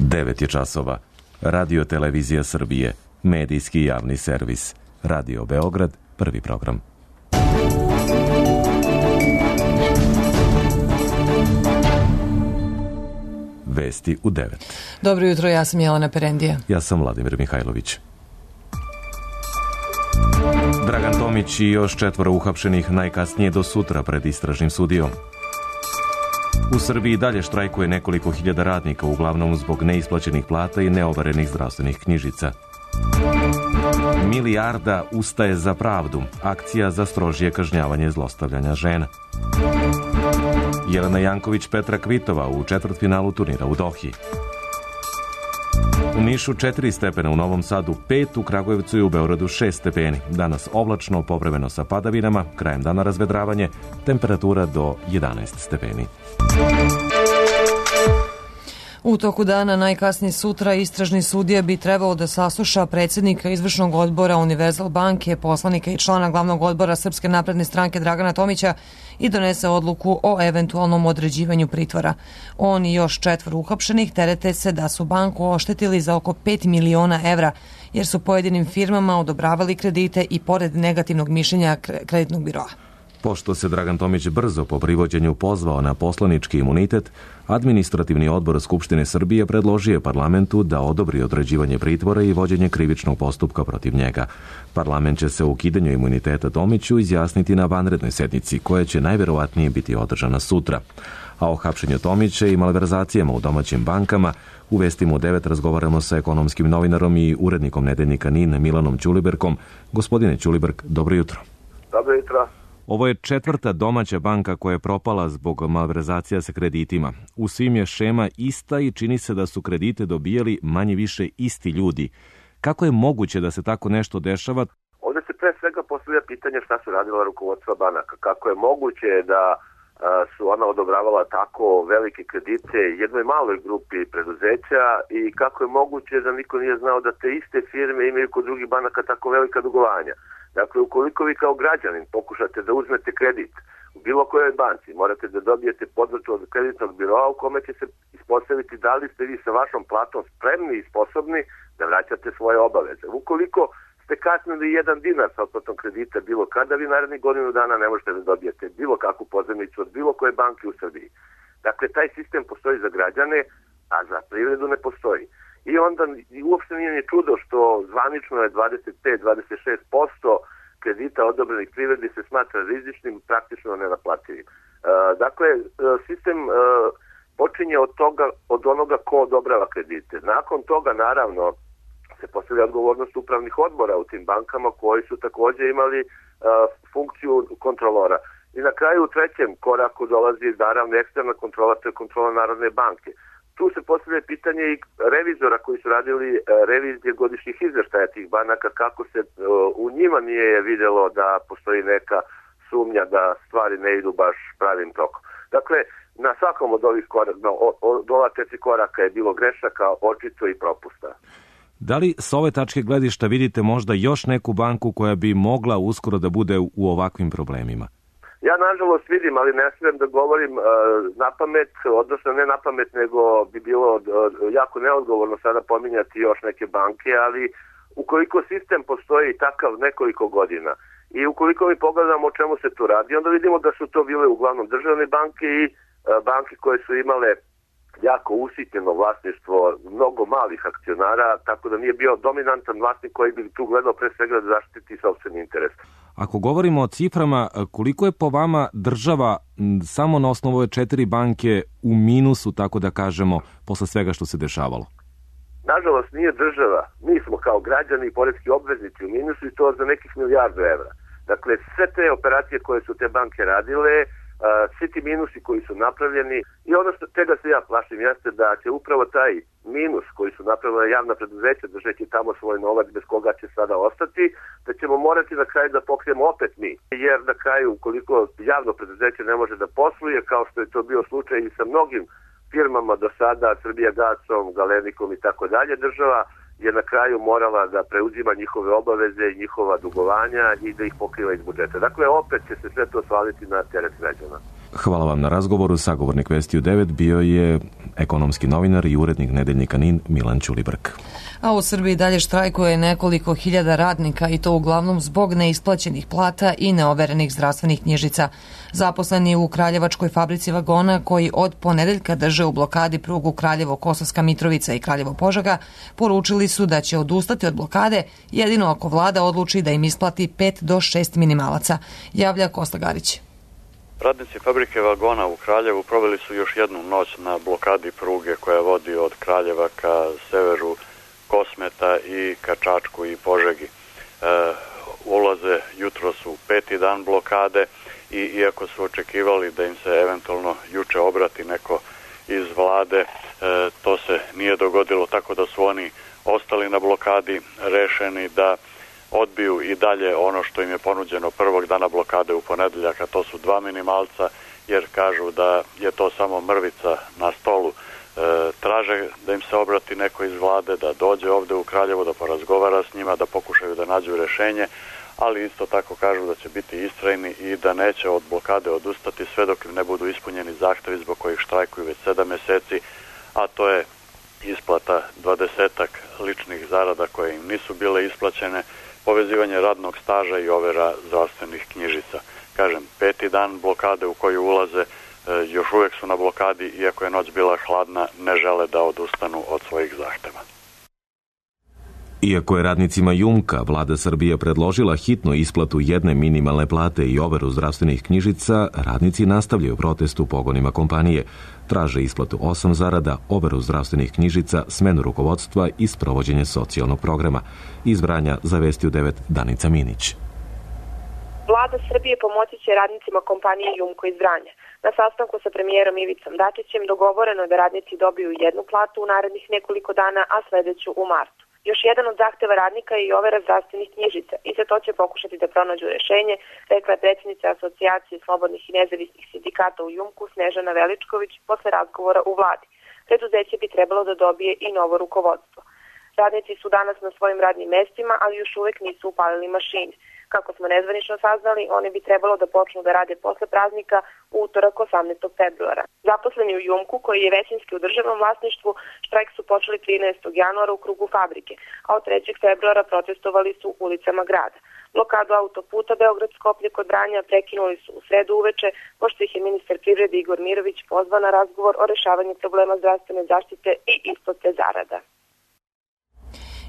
9 je časova. Radio Televizija Srbije, medijski javni servis. Radio Beograd, prvi program. Vesti u 9. Dobro jutro, ja sam Jelena Perendija. Ja sam Vladimir Mihajlović. Dragan Tomić i još 4 uhapšenih najkasnije do sutra pred istražnim sudijom. U Srbiji dalje štrajkuje nekoliko hiljada radnika, uglavnom zbog neisplaćenih plata i neoverenih zdravstvenih knjižica. Milijarda ustaje za pravdu. Akcija za strožije kažnjavanje zlostavljanja žena. Jelena Janković Petra Kvitova u četvrtfinalu turnira u Dohi. U Nišu 4 stepena, u Novom Sadu 5, u Kragujevcu i u Beogradu 6 stepeni. Danas oblačno, povremeno sa padavinama, krajem dana razvedravanje, temperatura do 11 stepeni. U toku dana, najkasnije sutra, istražni sudija bi trebalo da sasluša predsjednika izvršnog odbora Univerzal banke, poslanika i člana glavnog odbora Srpske napredne stranke Dragana Tomića i donese odluku o eventualnom određivanju pritvora. On i još 4 uhapšenih terete se da su banku oštetili za oko 5 miliona evra, jer su pojedinim firmama odobravali kredite i pored negativnog mišljenja kreditnog biroa. Pošto se Dragan Tomić brzo po privođenju pozvao na poslanički imunitet, Administrativni odbor Skupštine Srbije predložio je parlamentu da odobri određivanje pritvora i vođenje krivičnog postupka protiv njega. Parlament će se o ukidanju imuniteta Tomiću izjasniti na vanrednoj sednici, koja će najverovatnije biti održana sutra. A o hapšenju Tomića i malverzacijama u domaćim bankama u Vestima u 9 razgovaramo sa ekonomskim novinarom i urednikom nedeljnika NIN Milanom Ćuliberkom. Gospodine Ćuliberk, dobro jutro. Dobro jutro. Ovo je 4. domaća banka koja je propala zbog malverzacija sa kreditima. U svim je šema ista i čini se da su kredite dobijali manje više isti ljudi. Kako je moguće da se tako nešto dešava? Ovdje se pre svega postavlja pitanje šta su radila rukovodstva banaka. Kako je moguće da su ona odobravala tako velike kredite jednoj maloj grupi preduzeća i kako je moguće da niko nije znao da te iste firme imaju kod drugih banaka tako velika dugovanja. Dakle, ukoliko vi kao građanin pokušate da uzmete kredit u bilo kojoj banci, morate da dobijete podršku od kreditnog biroa u kome će se ispostaviti da li ste vi sa vašom platom spremni i sposobni da vraćate svoje obaveze. Ukoliko ste kasnili 1 dinar sa otplatom kredita bilo kada, vi narednih godinu dana ne možete da dobijete bilo kakvu pozajmicu od bilo koje banke u Srbiji. Dakle, taj sistem postoji za građane, a za privredu ne postoji. I onda uopšte nije ni čudo što zvanično je 25-26% kredita odobrenih privredi se smatra rizičnim, praktično nenaplativim. Dakle, sistem počinje od onoga ko odobrava kredite. Nakon toga, naravno, se postavlja odgovornost upravnih odbora u tim bankama koji su također imali funkciju kontrolora. I na kraju u 3. koraku dolazi naravno eksterna kontrola, to je kontrola Narodne banke. Tu se postavlja pitanje i revizora koji su radili revizije godišnjih izveštaja tih banaka, kako se u njima nije vidjelo da postoji neka sumnja da stvari ne idu baš pravim tokom. Dakle, na svakom od ovih koraka, od ova 4 koraka je bilo grešaka, očito i propusta. Da li s ove tačke gledišta vidite možda još neku banku koja bi mogla uskoro da bude u ovakvim problemima? Ja nažalost vidim, ali ne smijem da govorim na pamet, odnosno ne na pamet, nego bi bilo jako neodgovorno sada pominjati još neke banke, ali ukoliko sistem postoji takav nekoliko godina i ukoliko mi pogledamo o čemu se tu radi, onda vidimo da su to bile uglavnom državne banke i banke koje su imale jako usitnjeno vlasništvo mnogo malih akcionara, tako da nije bio dominantan vlasnik koji bi tu gledao pre svega da zaštiti sopstveni interes. Ako govorimo o ciframa, koliko je po vama država samo na osnovu ove 4 banke u minusu, tako da kažemo, posle svega što se dešavalo? Nažalost nije država. Mi smo kao građani i poreski obveznici u minusu i to za nekih milijardu evra. Dakle, sve te operacije koje su te banke radile, svi ti minusi koji su napravljeni i ono što čega se ja plašim jeste da će upravo taj minus koji su napravila javna preduzeća držeći tamo svoj novac bez koga će sada ostati, da ćemo morati na kraju da pokrijemo opet mi. Jer na kraju ukoliko javno preduzeće ne može da posluje, kao što je to bio slučaj i sa mnogim firmama do sada, Srbijagasom, Galenikom i tako dalje, država je na kraju morala da preuzima njihove obaveze i njihova dugovanja i da ih pokriva iz budžeta. Dakle, opet će se sve to svaliti na teret građana. Hvala vam na razgovoru. Sagovornik Vesti u 9 bio je ekonomski novinar i urednik nedeljnika NIN Milan Ćulibrk. A u Srbiji dalje štrajkuje nekoliko hiljada radnika i to uglavnom zbog neisplaćenih plata i neoverenih zdravstvenih knjižica. Zaposleni u Kraljevačkoj fabrici vagona koji od ponedeljka drže u blokadi prugu Kraljevo-Kosovska Mitrovica i Kraljevo-Požega poručili su da će odustati od blokade jedino ako vlada odluči da im isplati 5 do 6 minimalaca. Javlja Kosta Garić. Radnici fabrike vagona u Kraljevu proveli su još jednu noć na blokadi pruge koja vodi od Kraljeva ka severu Kosmeta i ka Čačku i Požegi. Ulaze jutros u 5. dan blokade i iako su očekivali da im se eventualno juče obrati neko iz vlade, to se nije dogodilo, tako da su oni ostali na blokadi, rešeni da odbiju i dalje ono što im je ponuđeno prvog dana blokade u ponedeljak, a to su 2 minimalca, jer kažu da je to samo mrvica na stolu. Traže da im se obrati neko iz vlade, da dođe ovde u Kraljevo, da porazgovara s njima, da pokušaju da nađu rešenje, ali isto tako kažu da će biti istrajni i da neće od blokade odustati sve dok im ne budu ispunjeni zahtevi zbog kojih štrajkuju već 7 meseci, a to je isplata 20-ak ličnih zarada koje im nisu bile isplaćene, povezivanje radnog staža i overa zdravstvenih knjižica. Kažem, 5. dan blokade u koju ulaze, još uvijek su na blokadi, iako je noć bila hladna, ne žele da odustanu od svojih zahteva. Iako je radnicima Jumka vlada Srbije predložila hitnu isplatu jedne minimalne plate i overu zdravstvenih knjižica, radnici nastavljaju protest u pogonima kompanije. Traže isplatu 8 zarada, overu zdravstvenih knjižica, smenu rukovodstva i sprovođenje socijalnog programa. Iz Vranja za Vesti u 9 Danica Minić. Vlada Srbije pomoći će radnicima kompanije Jumko iz Vranja. Na sastanku sa premijerom Ivicom Dačićem dogovoreno je da radnici dobiju jednu platu u narednih nekoliko dana, a sledeću u martu. Još jedan od zahteva radnika je i overa zdravstvenih knjižica i za to će pokušati da pronađu rešenje, rekla je predsjednica Asocijacije slobodnih i nezavisnih sindikata u Jumku Snežana Veličković posle razgovora u vladi. Preduzeće bi trebalo da dobije i novo rukovodstvo. Radnici su danas na svojim radnim mestima, ali još uvek nisu upalili mašine. Kako smo nezvanično saznali, oni bi trebalo da počnu da rade posle praznika u utorak 18. februara. Zaposleni u Jumku, koji je većinski u državnom vlasništvu, štrajk su počeli 13. januara u krugu fabrike, a od 3. februara protestovali su ulicama grada. Blokadu autoputa Beograd-Skoplje kod Vranja prekinuli su u sredu uveče, pošto ih je ministar privrede Igor Mirović pozvao na razgovor o rešavanju problema zdravstvene zaštite i isplate zarada.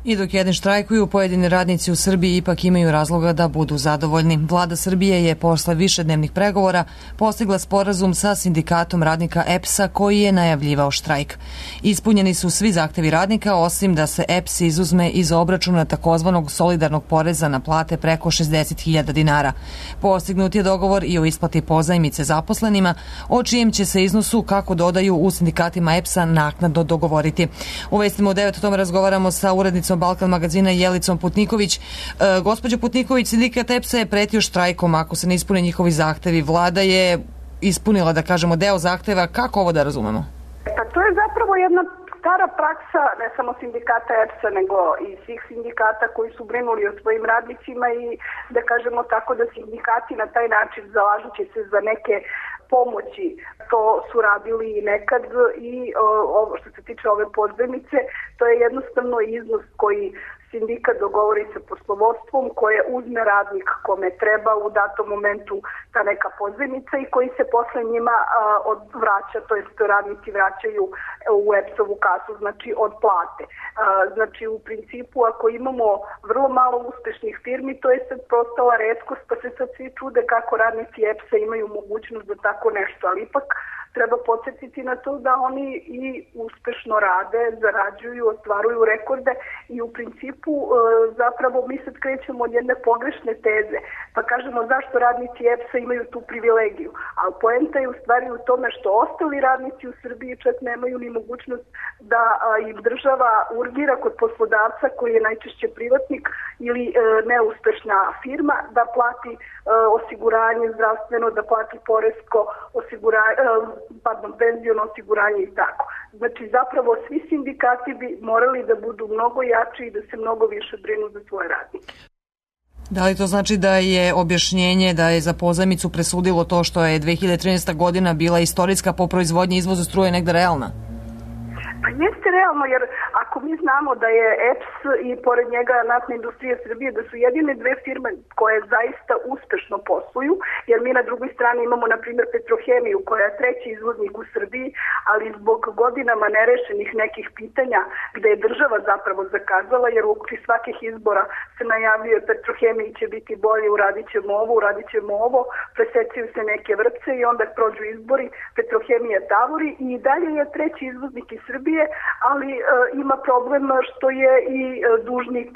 I dok jedni štrajkuju, pojedini radnici u Srbiji ipak imaju razloga da budu zadovoljni. Vlada Srbije je posle višednevnih pregovora postigla sporazum sa sindikatom radnika EPS-a koji je najavljivao štrajk. Ispunjeni su svi zahtevi radnika, osim da se EPS izuzme iz obračuna takozvanog solidarnog poreza na plate preko 60.000 dinara. Postignut je dogovor i o isplati pozajmice zaposlenima, o čijem će se iznosu, kako dodaju u sindikatima EPS-a, naknadno dogovoriti. U Vestima u 9 o tome razgovaramo sa urednicom Balkan magazina Jelicom Putniković. Gospođo Putniković, sindikat EPS-a je pretio štrajkom ako se ne ispune njihovi zahtevi. Vlada je ispunila, da kažemo, deo zahteva. Kako ovo da razumemo? Pa to je zapravo jedna stara praksa, ne samo sindikata EPS-a, nego i svih sindikata koji su brinuli o svojim radnicima i da kažemo tako da sindikati na taj način zalažući se za neke pomoći, to su radili i nekad i ovo što se tiče ove pozajmice, to je jednostavno iznos koji sindikat dogovori sa poslovodstvom, koje uzme radnik kome treba u datom momentu ta neka pozajmica i koji se posle njima vraća, to jest radnici vraćaju u EPS-ovu kasu, znači od plate. Znači u principu ako imamo vrlo malo uspešnih firmi, to je sad postala retkost, pa se sad svi čude kako radnici EPS-a imaju mogućnost za tako nešto, ali ipak treba podsjetiti na to da oni i uspešno rade, zarađuju, ostvaruju rekorde i u principu zapravo mi sad krećemo od jedne pogrešne teze, pa kažemo zašto radnici EPS-a imaju tu privilegiju, ali poenta je u stvari u tome što ostali radnici u Srbiji čak nemaju ni mogućnost da im država urgira kod poslodavca koji je najčešće privatnik ili neuspešna firma da plati osiguranje zdravstveno, da plati poresko osiguranje, penziono osiguranje i tako. Znači zapravo svi sindikati bi morali da budu mnogo jači i da se mnogo više brinu za svoje radnike. Da li to znači da je objašnjenje da je za pozajmicu presudilo to što je 2013. godina bila istorijska po proizvodnji i izvozu struje negde realna? Pa jeste realno, jer ako mi znamo da je EPS i pored njega Naftna industrija Srbije, da su jedine dve firme koje zaista uspešno posluju, jer mi na drugoj strani imamo, na primjer, Petrohemiju, koja je treći izvoznik u Srbiji, ali zbog godinama nerešenih nekih pitanja, gde je država zapravo zakazala, jer u okviru svakih izbora se najavljuje Petrohemiji će biti bolje, uradit ćemo ovo, presecaju se neke vrpce i onda prođu izbori, Petrohemija tavori i dalje je treći izvoznik iz Srbije, ali ima problem što je i dužnik,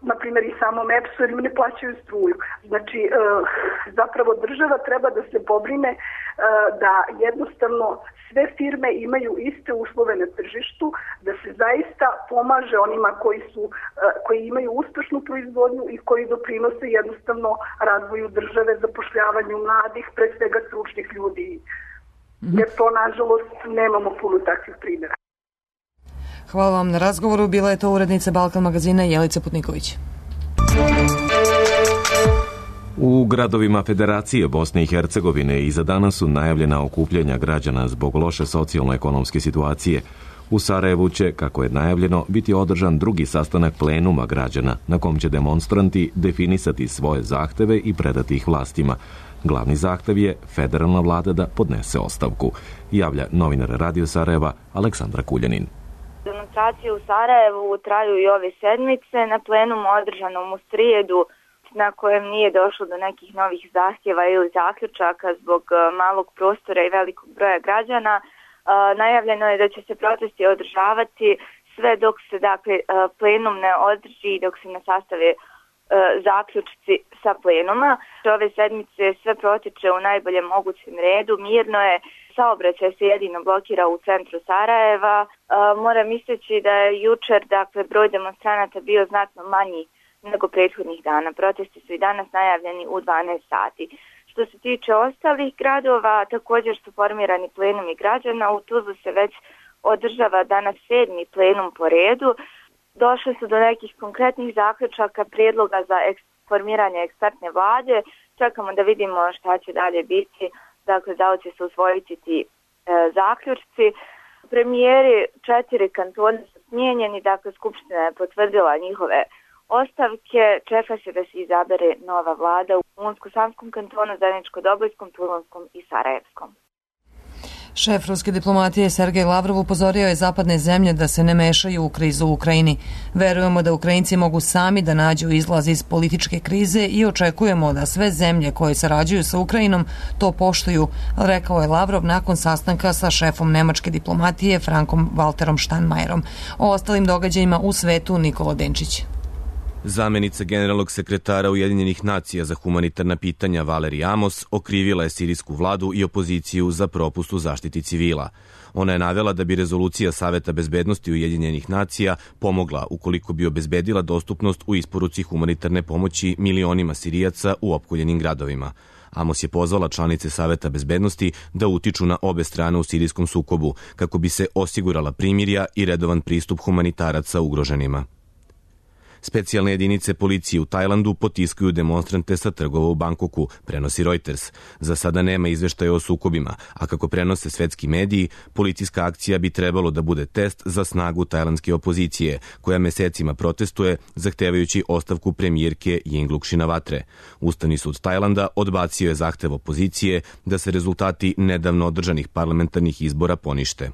na primjer i samom EPS-u, jer im ne plaćaju struju. Znači, zapravo država treba da se pobrine da jednostavno sve firme imaju iste uslove na tržištu, da se zaista pomaže onima koji imaju uspešnu proizvodnju i koji doprinose jednostavno razvoju države, zapošljavanju mladih, pre svega stručnih ljudi. Jer to, nažalost, nemamo puno takvih primjera. Hvala vam na razgovoru. Bila je to urednica Balkan magazina Jelica Putniković. U gradovima Federacije Bosne i Hercegovine i za danas su najavljena okupljanja građana zbog loše socijalno-ekonomske situacije. U Sarajevu će, kako je najavljeno, biti održan drugi sastanak plenuma građana, na kom će demonstranti definisati svoje zahteve i predati ih vlastima. Glavni zahtev je federalna vlada da podnese ostavku, javlja novinar Radio Sarajeva Aleksandra Kuljanin. Demonstracije u Sarajevu traju i ove sedmice. Na plenumu održanom u srijedu, na kojem nije došlo do nekih novih zahtjeva ili zaključaka zbog malog prostora i velikog broja građana, najavljeno je da će se protesti održavati sve dok se plenum ne održi i dok se ne sastave zaključci sa plenuma. Ove sedmice sve protiče u najboljem mogućem redu, mirno je, saobraćaj se jedino blokira u centru Sarajeva. Moram istaći da je jučer broj demonstranata bio znatno manji nego prethodnih dana. Protesti su i danas najavljeni u 12 sati. Što se tiče ostalih gradova, također su formirani plenumi građana. U Tuzlu se već održava danas 7. plenum po redu. Došli su do nekih konkretnih zaključaka, prijedloga za formiranje ekspertne vlade. Čekamo da vidimo šta će dalje biti, da li će se usvojiti ti zaključci. Premijeri 4 kantona su smijenjeni, Skupština je potvrdila njihove ostavke. Čeka se da se izabere nova vlada u Unsko-Sanskom kantonu, Zeničko-Dobojskom, Tuzlanskom i Sarajevskom. Šef ruske diplomatije Sergej Lavrov upozorio je zapadne zemlje da se ne mešaju u krizu u Ukrajini. Verujemo da Ukrajinci mogu sami da nađu izlaz iz političke krize i očekujemo da sve zemlje koje sarađuju sa Ukrajinom to poštuju, rekao je Lavrov nakon sastanka sa šefom nemačke diplomatije Frankom Walterom Steinmeierom. O ostalim događajima u svetu Nikola Denčić. Zamenica generalnog sekretara Ujedinjenih nacija za humanitarna pitanja Valerija Amos okrivila je sirijsku vladu i opoziciju za propust u zaštiti civila. Ona je navela da bi rezolucija Saveta bezbednosti Ujedinjenih nacija pomogla ukoliko bi obezbedila dostupnost u isporuci humanitarne pomoći milionima Sirijaca u opkoljenim gradovima. Amos je pozvala članice Saveta bezbednosti da utiču na obe strane u sirijskom sukobu kako bi se osigurala primirja i redovan pristup humanitaraca ugroženima. Specijalne jedinice policije u Tajlandu potiskuju demonstrante sa trgova u Bangkoku, prenosi Reuters. Za sada nema izveštaja o sukobima, a kako prenose svetski mediji, policijska akcija bi trebalo da bude test za snagu tajlandske opozicije, koja mesecima protestuje zahtevajući ostavku premijerke Yingluck Shinawatre. Ustavni sud Tajlanda odbacio je zahtev opozicije da se rezultati nedavno održanih parlamentarnih izbora ponište.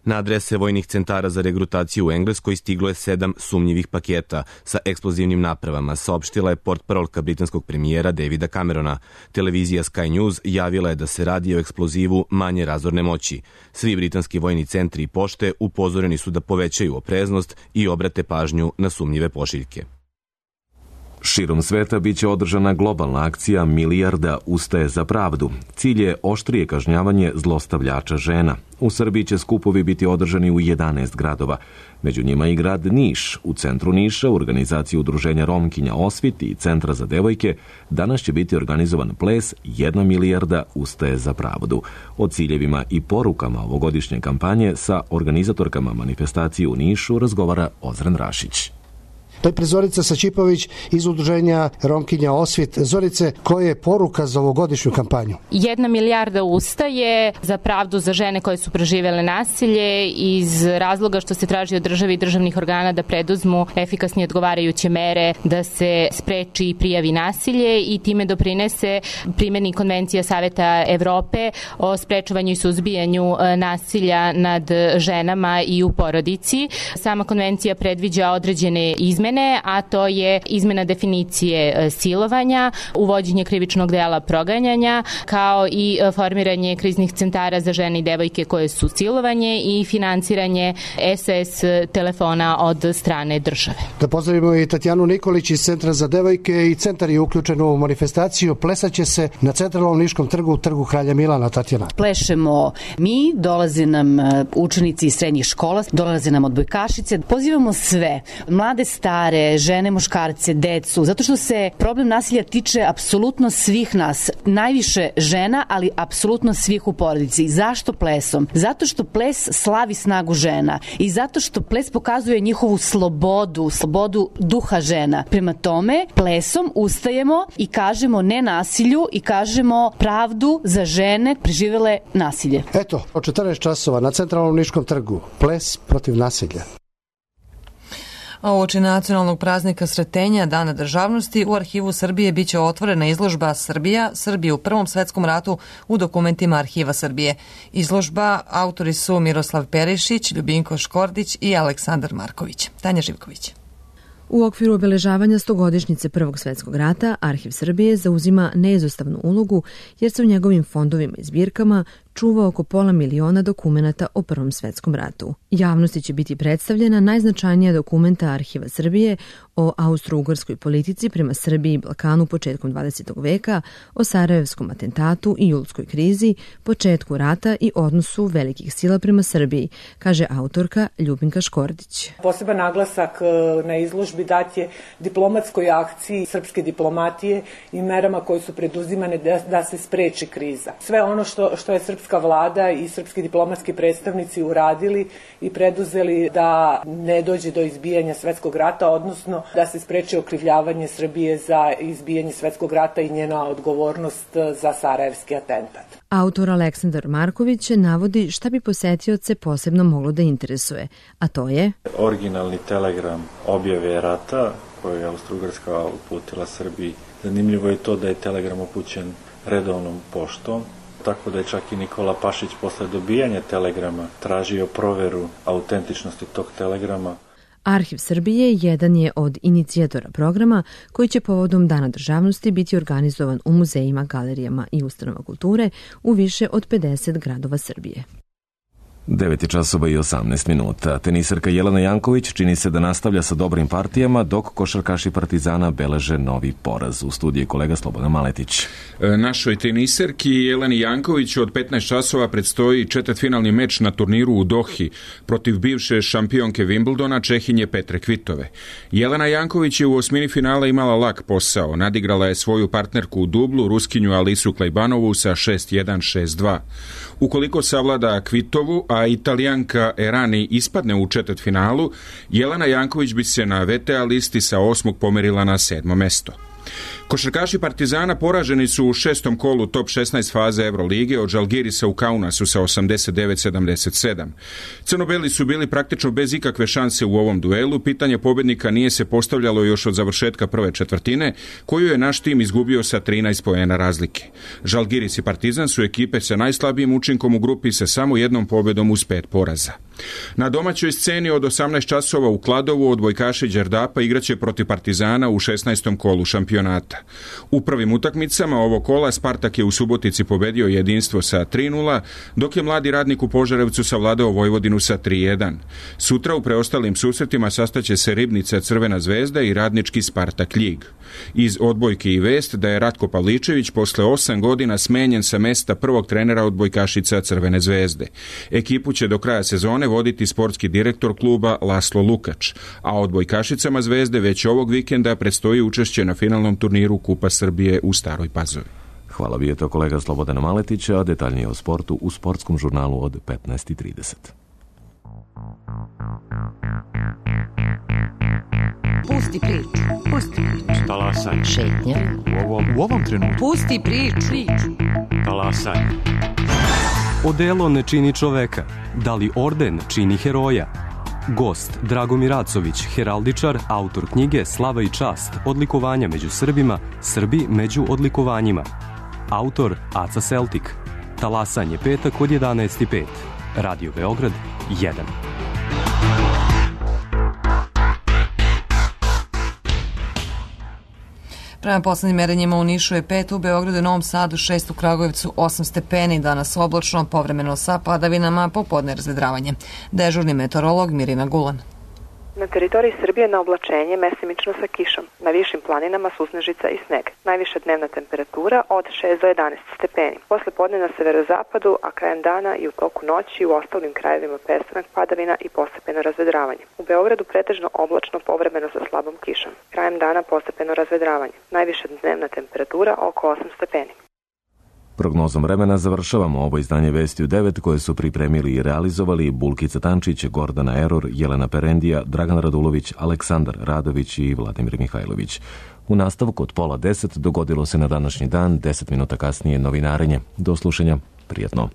Na adrese vojnih centara za regrutaciju u Engleskoj stiglo je 7 sumnjivih paketa sa eksplozivnim napravama, saopštila je portparolka britanskog premijera Davida Camerona. Televizija Sky News javila je da se radi o eksplozivu manje razorne moći. Svi britanski vojni centri i pošte upozoreni su da povećaju opreznost i obrate pažnju na sumnjive pošiljke. Širom sveta biće održana globalna akcija Milijarda ustaje za pravdu. Cilj je oštrije kažnjavanje zlostavljača žena. U Srbiji će skupovi biti održani u 11 gradova. Među njima i grad Niš. U centru Niša, u organizaciji udruženja Romkinja Osvit i Centra za devojke, danas će biti organizovan ples 1 milijarda ustaje za pravdu. O ciljevima i porukama ovogodišnje kampanje sa organizatorkama manifestacije u Nišu razgovara Ozren Rašić. Najpre Zorica Sačipović iz udruženja Romkinja Osvit. Zorice, koja je poruka za ovogodišnju kampanju? 1 milijarda ustaje za pravdu za žene koje su preživele nasilje iz razloga što se traži od države i državnih organa da preduzmu efikasnije odgovarajuće mere da se spreči i prijavi nasilje i time doprinese primjeni Konvencija Saveta Evrope o sprečavanju i suzbijanju nasilja nad ženama i u porodici. Sama konvencija predviđa određene izmene, a to je izmena definicije silovanja, uvođenje krivičnog dela proganjanja, kao i formiranje kriznih centara za žene i devojke koje su silovanje i finansiranje SOS telefona od strane države. Da pozdravimo i Tatjanu Nikolić iz Centra za devojke i centar je uključen u manifestaciju. Plesaće se na Centralnom Niškom trgu, trgu Kralja Milana. Tatjana. Plešemo mi, dolaze nam učenici iz srednjih škola, dolaze nam odbojkašice. Pozivamo sve, mlade, stare, žene, muškarce, decu, zato što se problem nasilja tiče apsolutno svih nas. Najviše žena, ali apsolutno svih u porodici. Zašto plesom? Zato što ples slavi snagu žena i zato što ples pokazuje njihovu slobodu duha žena. Prema tome, plesom ustajemo i kažemo ne nasilju i kažemo pravdu za žene preživele nasilje. Eto, od 14 časova na Centralnom Niškom trgu, ples protiv nasilja. A uoči nacionalnog praznika Sretenja, Dana državnosti, u Arhivu Srbije biće otvorena izložba Srbije u Prvom svetskom ratu u dokumentima Arhiva Srbije. Izložba autori su Miroslav Perišić, Ljubinko Škordić i Aleksandar Marković. Tanja Živković. U okviru obeležavanja 100-godišnjice Prvog svjetskog rata, Arhiv Srbije zauzima neizostavnu ulogu jer se u njegovim fondovima i zbirkama čuva oko 500.000 dokumenata o Prvom svjetskom ratu. Javnosti će biti predstavljena najznačajnija dokumenta Arhiva Srbije o austro-ugarskoj politici prema Srbiji i Balkanu početkom 20. veka, o Sarajevskom atentatu i julskoj krizi, početku rata i odnosu velikih sila prema Srbiji, kaže autorka Ljubinka Škordić. Poseban naglasak na izložbi dat je diplomatskoj akciji srpske diplomatije i merama koje su preduzimane da se spreči kriza. Sve ono što je srpska vlada i srpski diplomatski predstavnici uradili i preduzeli da ne dođe do izbijanja svetskog rata, odnosno da se spreči okrivljavanje Srbije za izbijanje svetskog rata i njena odgovornost za Sarajevski atentat. Autor Aleksandar Marković navodi šta bi posetioce posebno moglo da interesuje, a to je originalni telegram objave rata koji je Austro-Ugarska uputila Srbiji. Zanimljivo je to da je telegram upućen redovnom poštom, tako da je čak i Nikola Pašić posle dobijanja telegrama tražio proveru autentičnosti tog telegrama. Arhiv Srbije jedan je od inicijatora programa koji će povodom Dana državnosti biti organizovan u muzejima, galerijama i ustanovama kulture u više od 50 gradova Srbije. 9 časova i 18 minuta. Tenisarka Jelena Janković čini se da nastavlja sa dobrim partijama, dok košarkaši Partizana beleže novi poraz. U studiji kolega Slobodan Maletić. Našoj tenisarki Jeleni Janković od 15 časova predstoji četvrtfinalni meč na turniru u Dohi protiv bivše šampionke Wimbledona, Čehinje Petre Kvitove. Jelena Janković je u osmini finala imala lak posao. Nadigrala je svoju partnerku u dublu, Ruskinju Alisu Klajbanovu sa 6-1, 6-2. Ukoliko savlada Kvitovu, a Italijanka Erani ispadne u četvrtfinalu, Jelena Janković bi se na VTA listi sa 8. pomerila na 7. mesto. Košarkaši Partizana poraženi su u 6. kolu top 16 faze Evrolige od Žalgirisa u Kaunasu sa 89-77. Crnobeli su bili praktično bez ikakve šanse u ovom duelu. Pitanje pobednika nije se postavljalo još od završetka prve četvrtine, koju je naš tim izgubio sa 13 poena razlike. Žalgiris i Partizan su ekipe sa najslabijim učinkom u grupi sa samo jednom pobedom uz 5 poraza. Na domaćoj sceni od 18 časova u Kladovu odbojkaši Đerdapa igraće protiv Partizana u 16. kolu šampionata. U prvim utakmicama ovog kola Spartak je u Subotici pobedio Jedinstvo sa 3-0, dok je Mladi radnik u Požarevcu savladao Vojvodinu sa 3-1. Sutra u preostalim susretima sastaće se Ribnica Crvena zvezda i Radnički Spartak Ljig. Iz odbojke i vest da je Ratko Pavličević posle 8 godina smenjen sa mesta prvog trenera odbojkašica Crvene zvezde. Ekipu će do kraja sezone voditi sportski direktor kluba Laslo Lukač, a odbojkašicama zvezde već ovog vikenda predstoji učešće na finalnom turniru Kupa Srbije u Staroj Pazovi. Hvala, bio je to kolega Slobodana Maletića, a detaljnije o sportu u sportskom žurnalu od 15:30. Pusti priču. Pusti priču. Talasaj. Šetnja. U ovom trenutku. Pusti priču. Talasaj. Odelo ne čini čoveka. Da li orden čini heroja? Gost Dragomir Acović, heraldičar, autor knjige Slava i čast, odlikovanja među Srbima, Srbi među odlikovanjima. Autor Aca Celtic. Talasanje petak od 11:05. Radio Beograd 1. Prema poslednjim merenjima u Nišu je 5, u Beogradu i Novom Sadu 6, u Kragujevcu 8 stepeni, danas oblačno, povremeno sa padavinama, popodne razvedravanje. Dežurni meteorolog Mirina Gulan. Na teritoriji Srbije na oblačenje mesimično sa kišom, na višim planinama susnežica i sneg. Najviša dnevna temperatura od 6 do 11 stepeni. Posle podne na severozapadu, a krajem dana i u toku noći u ostalim krajevima prestanak padavina i postepeno razvedravanje. U Beogradu pretežno oblačno, povremeno sa slabom kišom. Krajem dana postepeno razvedravanje. Najviša dnevna temperatura oko 8 stepeni. Prognozom vremena završavamo ovo izdanje Vesti u 9 koje su pripremili i realizovali Bulkica Tančić, Gordana Eror, Jelena Perendija, Dragan Radulović, Aleksandar Radović i Vladimir Mihajlović. U nastavku od 9:30 dogodilo se na današnji dan, 10 minuta kasnije novinarenje. Do slušanja, prijatno.